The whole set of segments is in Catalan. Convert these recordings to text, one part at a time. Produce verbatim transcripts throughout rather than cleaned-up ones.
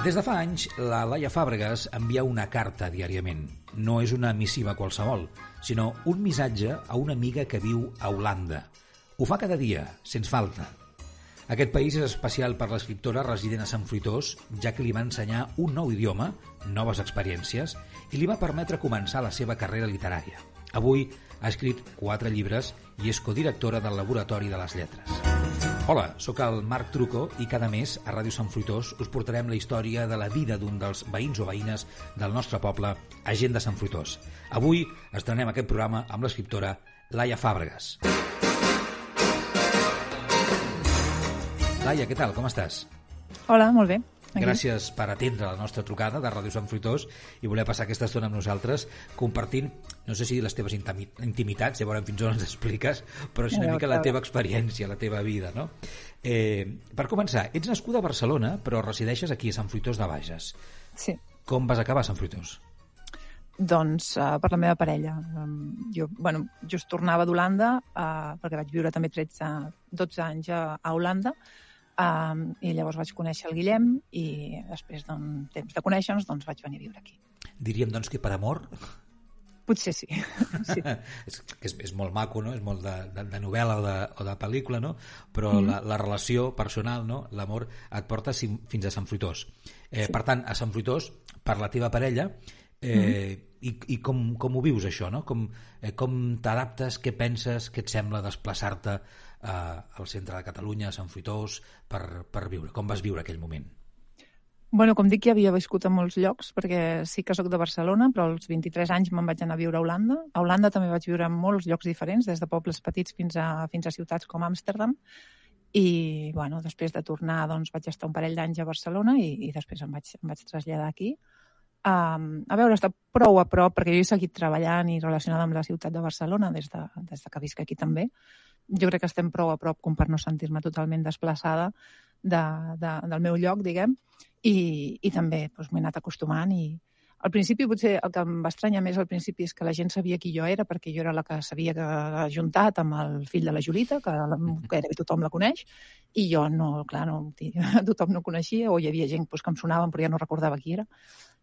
Des de fa anys, la Laia Fàbregas envia una carta diàriament. No és una missiva qualsevol, sinó un missatge a una amiga que viu a Holanda. Ho fa cada dia, sens falta. Aquest país és especial per l'escriptora resident a Sant Fruitós, ja que li va ensenyar un nou idioma, noves experiències, i li va permetre començar la seva carrera literària. Avui ha escrit quatre llibres i és codirectora del Laboratori de les Lletres. Hola, sóc el Marc Trucco i cada mes a Ràdio Sant Fruitós us portarem la història de la vida d'un dels veïns o veïnes del nostre poble a Gent de Sant Fruitós. Avui estrenem aquest programa amb l'escriptora Laia Fàbregas. Laia, què tal? Com estàs? Hola, molt bé. Aquí. Gràcies per atendre la nostra trucada de Ràdio Sant Fruitós i voler passar aquesta estona amb nosaltres compartint, no sé si les teves intimitats, ja veurem fins on ens expliques, però és una mica la teva experiència, la teva vida, no? Eh, per començar, ets nascuda a Barcelona, però resideixes aquí a Sant Fruitós de Bages. Sí. Com vas acabar a Sant Fruitós? Doncs uh, per la meva parella. Um, jo, bueno, just tornava d'Holanda, uh, perquè vaig viure també tretze, dotze anys a, a Holanda, Um, i llavors vaig conèixer el Guillem i després d'un temps de conèixer-nos doncs vaig venir a viure aquí. Diríem doncs que per amor? Potser sí. sí. és, és, és molt maco, no? És molt de, de, de novel·la o de, o de pel·lícula, no? Però mm. la, la relació personal, no? L'amor et porta fins a Sant Fruitós. Eh, sí. Per tant, a Sant Fruitós, per la teva parella, eh, mm. i, i com, com ho vius això, no? Com, eh, com t'adaptes, què penses, què et sembla desplaçar-te al centre de Catalunya, a Sant Fruitós, per, per viure? Com vas viure aquell moment? Bueno, com dic, ja havia viscut a molts llocs, perquè sí que sóc de Barcelona, però als vint-i-tres anys me'n vaig anar a viure a Holanda. A Holanda també vaig viure en molts llocs diferents, des de pobles petits fins a, fins a ciutats com Amsterdam. I, bueno, després de tornar, doncs, vaig estar un parell d'anys a Barcelona i, i després em vaig, em vaig traslladar aquí. Um, a veure, està prou a prop, perquè jo he seguit treballant i relacionada amb la ciutat de Barcelona des de, des de que visc aquí també. Jo crec que estem prou a prop com per no sentir-me totalment desplaçada de, de, del meu lloc, diguem, i, i també doncs, m'he anat acostumant. I al principi potser el que em va estranyar més al principi és que la gent sabia qui jo era, perquè jo era la que s'havia ajuntat amb el fill de la Julita, que gairebé tothom la coneix, i jo no, clar, no, tothom no coneixia, o hi havia gent doncs, que em sonaven però ja no recordava qui era.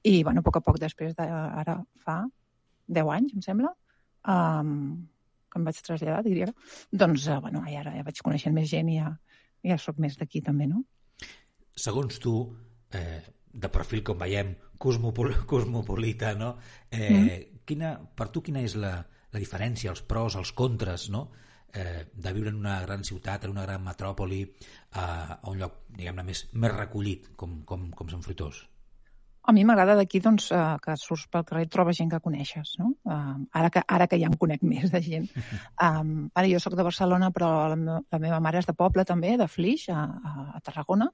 I, bueno, a poc a poc després, de, ara fa deu anys, em sembla, um, que em vaig traslladar, diria, doncs, uh, bueno, ara ja vaig coneixent més gent i ja, ja soc més d'aquí també, no? Segons tu, eh, de perfil, com veiem, cosmopol cosmopolita, no? Eh, mm. quina, per tu quina és la, la diferència, els pros, els contres, no? Eh, de viure en una gran ciutat, en una gran metròpoli, eh, a un lloc, diguem-ne, més, més recollit, com, com, com Sant Fruitós? A mi m'agrada d'aquí doncs, uh, que surts pel carrer i trobes gent que coneixes, no? Uh, ara, que, ara que ja em conec més de gent. Um, ara jo sóc de Barcelona, però la, me la meva mare és de poble també, de Flix, a, a, a Tarragona,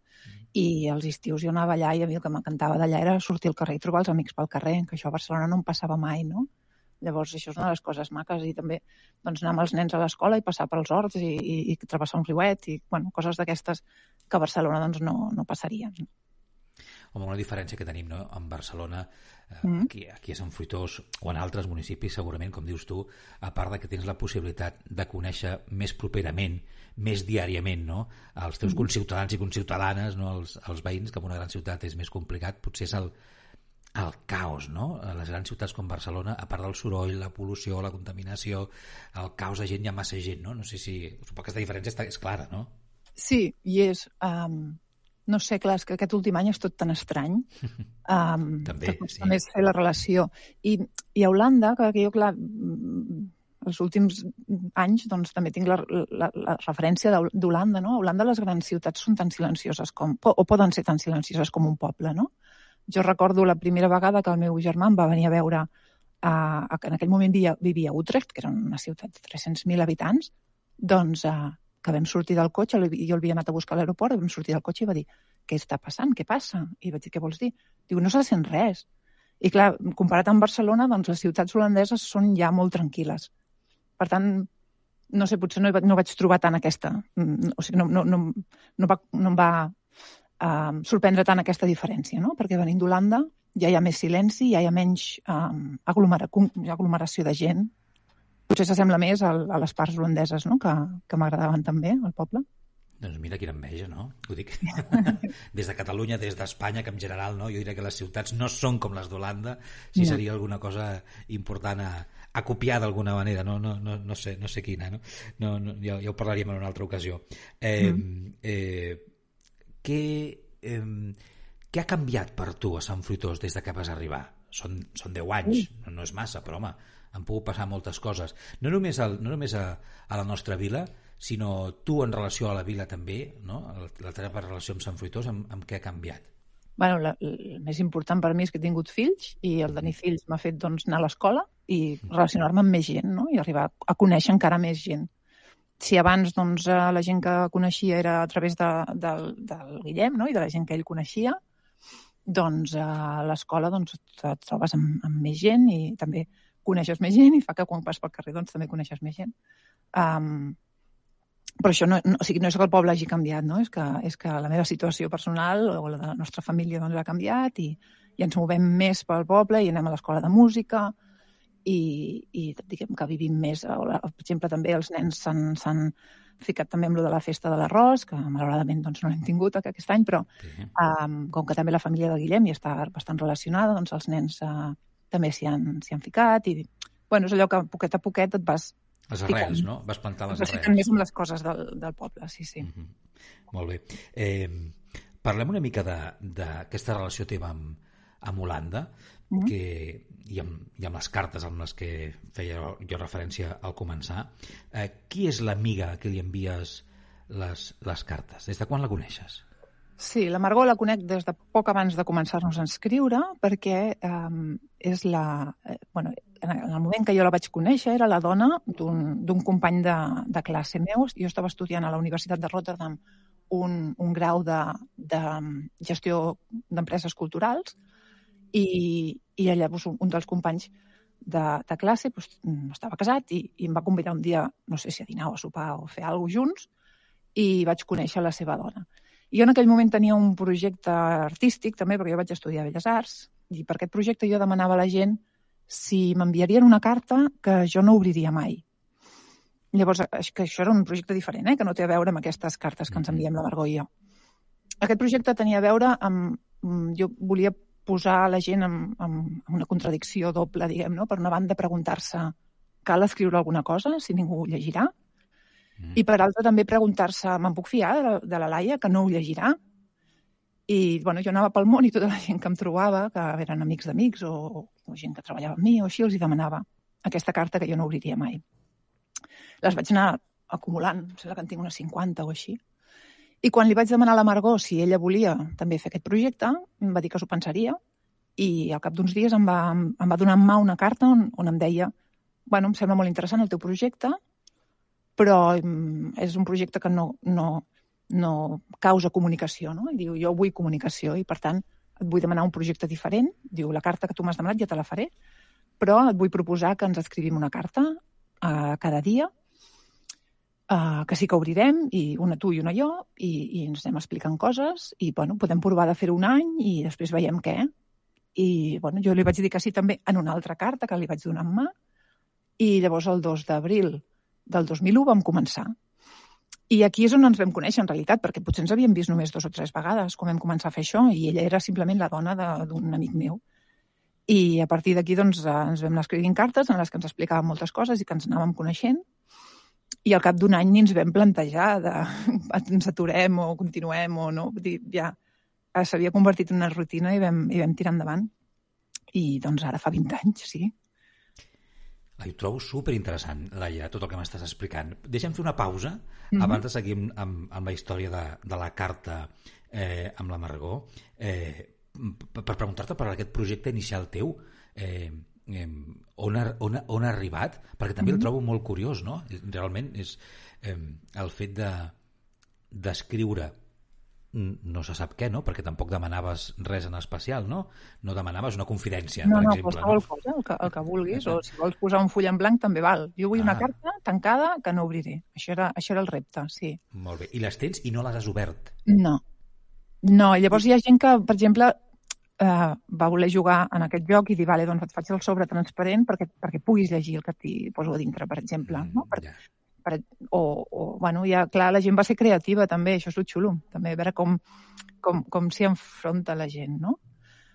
i els estius jo anava allà i a mi el que m'encantava d'allà era sortir al carrer i trobar els amics pel carrer, que això a Barcelona no em passava mai, no? Llavors això és una de les coses maques, i també doncs, anar amb els nens a l'escola i passar pels horts i, i, i travessar un riuet i bueno, coses d'aquestes que a Barcelona doncs, no, no passarien. Home, una diferència que tenim, no? En Barcelona, eh, mm. aquí, aquí a Sant Fruitós o en altres municipis, segurament, com dius tu, a part de que tens la possibilitat de conèixer més properament, més diàriament, no? Els teus mm. conciutadans i conciutadanes, no? els, els veïns, que en una gran ciutat és més complicat, potser és el, el caos, no? A les grans ciutats com Barcelona, a part del soroll, la pol·lució, la contaminació, el caos de gent, hi ha massa gent, no? No sé si... Suposo que aquesta diferència està, és clara, no? Sí, i és... Um... No sé, clar, és que aquest últim any és tot tan estrany. Um, també, que sí. Més fer la relació. I, i a Holanda, que jo, clar, els últims anys doncs, també tinc la, la, la referència d'Holanda, no? A Holanda les grans ciutats són tan silencioses com, o poden ser tan silencioses com un poble, no? Jo recordo la primera vegada que el meu germà em va venir a veure, a, a, en aquell moment vivia, vivia a Utrecht, que era una ciutat de tres-cents mil habitants, doncs... A, que vam sortir del cotxe, jo el havia anat a buscar a l'aeroport, vam sortir del cotxe i va dir, què està passant, què passa? I vaig dir, què vols dir? Diu, no se sent res. I clar, comparat amb Barcelona, doncs les ciutats holandeses són ja molt tranquil·les. Per tant, no sé, potser no, no vaig trobar tant aquesta, o sigui, no, no, no, no, va, no em va uh, sorprendre tant aquesta diferència, no? Perquè venint d'Holanda ja hi ha més silenci, ja hi ha menys um, aglomera, aglomeració de gent. Potser s'assembla més a, a les parts holandeses, no? que, que m'agradaven també, al poble. Doncs mira quina enveja, no? Ho dic des de Catalunya, des d'Espanya, que en general, no? Jo diria que les ciutats no són com les d'Holanda, si no. Seria alguna cosa important a, a copiar d'alguna manera, no, no, no, no, sé, no sé quina, no? No, no, ja, ja ho parlaríem en una altra ocasió. Eh, mm. eh, què, eh, què ha canviat per tu a Sant Fruitós des de que vas arribar? Són, són deu anys, mm. no, no és massa, però home, han pogut passar moltes coses. No només, al, no només a, a la nostra vila, sinó tu en relació a la vila també, no? La teva relació amb Sant Fruitós, amb, amb què ha canviat? Bueno, la, el més important per mi és que he tingut fills i el tenir fills m'ha fet doncs, anar a l'escola i relacionar-me amb més gent, no? I arribar a conèixer encara més gent. Si abans doncs, la gent que coneixia era a través de, de, del Guillem, no? I de la gent que ell coneixia, doncs a l'escola doncs, et trobes amb, amb més gent i també coneixes més gent i fa que quan vas pel carrer doncs, també coneixes més gent. Um, Però això no, no, o sigui, no és que el poble hagi canviat, no? És que, és que la meva situació personal o la de la nostra família doncs, ha canviat i, i ens movem més pel poble i anem a l'escola de música i, i diguem que vivim més. Per exemple, també els nens s'han ficat també amb lo de la festa de l'arròs, que malauradament doncs, no l'hem tingut aquest any, però sí. um, com que també la família de Guillem hi està bastant relacionada, doncs els nens uh, també s'hi han, s'hi han ficat i bueno, és allò que poquet a poquet et vas les arrels, no? Vas plantar les arrels. Vas més amb les coses del, del poble, sí, sí. Mm-hmm. Molt bé. Eh, parlem una mica d'aquesta relació teva amb, amb Holanda, mm-hmm. que, i, amb, i amb les cartes amb les que feia jo referència al començar. Eh, qui és l'amiga a qui li envies les, les cartes? Des de quan la coneixes? Sí, la Margot la conec des de poc abans de començar-nos a escriure, perquè eh, és la... Eh, bueno, en el moment que jo la vaig conèixer era la dona d'un company de, de classe meu. Jo estava estudiant a la Universitat de Rotterdam un, un grau de, de gestió d'empreses culturals i, i llavors un dels companys de, de classe doncs, estava casat i, i em va convidar un dia, no sé si a dinar o a sopar o a fer alguna cosa junts, i vaig conèixer la seva dona. I jo en aquell moment tenia un projecte artístic també, perquè jo vaig estudiar Belles Arts, i per aquest projecte jo demanava a la gent si m'enviarien una carta que jo no obriria mai. Llavors, que això era un projecte diferent, eh? Que no té a veure amb aquestes cartes que ens enviem la Margot i jo. Aquest projecte tenia a veure amb... Jo volia posar la gent en, en una contradicció doble, diguem, no? Per una banda, preguntar-se cal escriure alguna cosa, si ningú ho llegirà, mm. i per altra també preguntar-se me'n puc fiar de, de la Laia, que no ho llegirà? I bueno, jo anava pel món i tota la gent que em trobava, que eren amics d'amics o, o gent que treballava amb mi o així, els hi demanava aquesta carta que jo no obriria mai. Les vaig anar acumulant, em sembla que en tinc unes cinquanta o així. I quan li vaig demanar a la Margot si ella volia també fer aquest projecte, em va dir que s'ho pensaria i al cap d'uns dies em va, em va donar en mà una carta on, on em deia bueno, em sembla molt interessant el teu projecte, però és un projecte que no... no no causa comunicació, no? I diu, jo vull comunicació i, per tant, et vull demanar un projecte diferent. Diu, la carta que tu m'has demanat ja te la faré, però et vull proposar que ens escrivim una carta uh, cada dia, uh, que sí que obrirem, i una tu i una jo, i, i ens anem explicant coses, i, bueno, podem provar de fer-ho un any i després veiem què. I, bueno, jo li vaig dir que sí també en una altra carta que li vaig donar en mà, i llavors el dos d'abril del dos mil u vam començar. I aquí és on ens vam conèixer, en realitat, perquè potser ens havíem vist només dos o tres vegades quan vam començar a fer això, i ella era simplement la dona d'un amic meu. I a partir d'aquí doncs, ens vam anar escrivint cartes en les que ens explicàvem moltes coses i que ens anàvem coneixent, i al cap d'un any ni ens vam plantejar de ens aturem o continuem o no. Vull dir, ja s'havia convertit en una rutina i vam, i vam tirar endavant. I doncs ara fa vint anys, sí. Ho trobo superinteressant, Laia, tot el que m'estàs explicant. Deixa'm fer una pausa mm-hmm. abans de seguir amb, amb la història de, de la carta eh, amb la Margot, eh, per, per preguntar-te per aquest projecte inicial teu, eh, eh, on, ha, on, ha, on ha arribat, perquè també mm-hmm. el trobo molt curiós, no? Realment és eh, el fet de d'escriure no se sap què, no? Perquè tampoc demanaves res en especial, no? No demanaves una confidència, no, per no, exemple. No, no, cosa, el que, el que vulguis, o si vols posar un full en blanc també val. Jo vull ah. una carta tancada que no obriré. Això era, això era el repte, sí. Molt bé. I les tens i no les has obert? No. No, i llavors hi ha gent que, per exemple, eh, va voler jugar en aquest joc i dir, vale, doncs et faig el sobre transparent perquè, perquè puguis llegir el que t'hi poso a dintre, per exemple. Mm, no? Per, yeah. per, o, o, bueno, ja, clar, la gent va ser creativa també, això és el xulo, també, a veure com, com, com s'hi enfronta la gent, no?